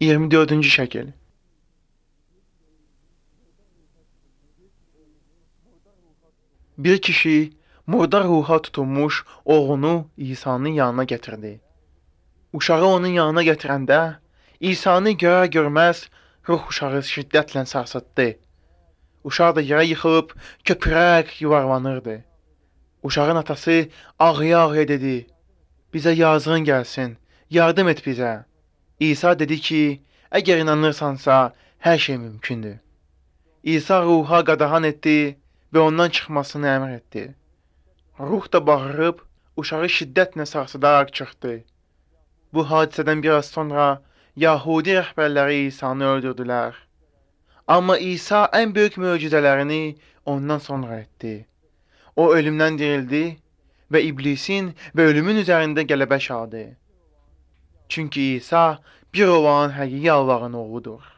24-cü şəkil. Bir kişi murdar ruha tutulmuş oğlunu İsa'nın yanına getirdi. Uşağı onun yanına gətirəndə İsa'nı görər-görməz ruh uşağı şiddətlə sarsıtdı. Uşaq da yerə yıxılıb köpürərək yuvarlanırdı. Uşağın atası ağlaya-ağlaya dedi: "Bizə yazığın gəlsin, yardım et bizə." İsa dedi ki, əgər inanırsansa hər şey mümkündür. İsa ruha qadağan etdi və ondan çıxmasını əmr etdi. Ruh da bağırıb uşağı şiddətlə sarsıdaraq çıxdı. Bu hadisədən biraz sonra Yahudi rəhbərləri İsa'nı öldürdülər. Amma İsa ən böyük möcüzələrini ondan sonra etdi. O ölümdən dirildi və iblisin və ölümün üzərində qələbə çaldı. Çünki İsa bir olan həqiqi Allahın oğludur.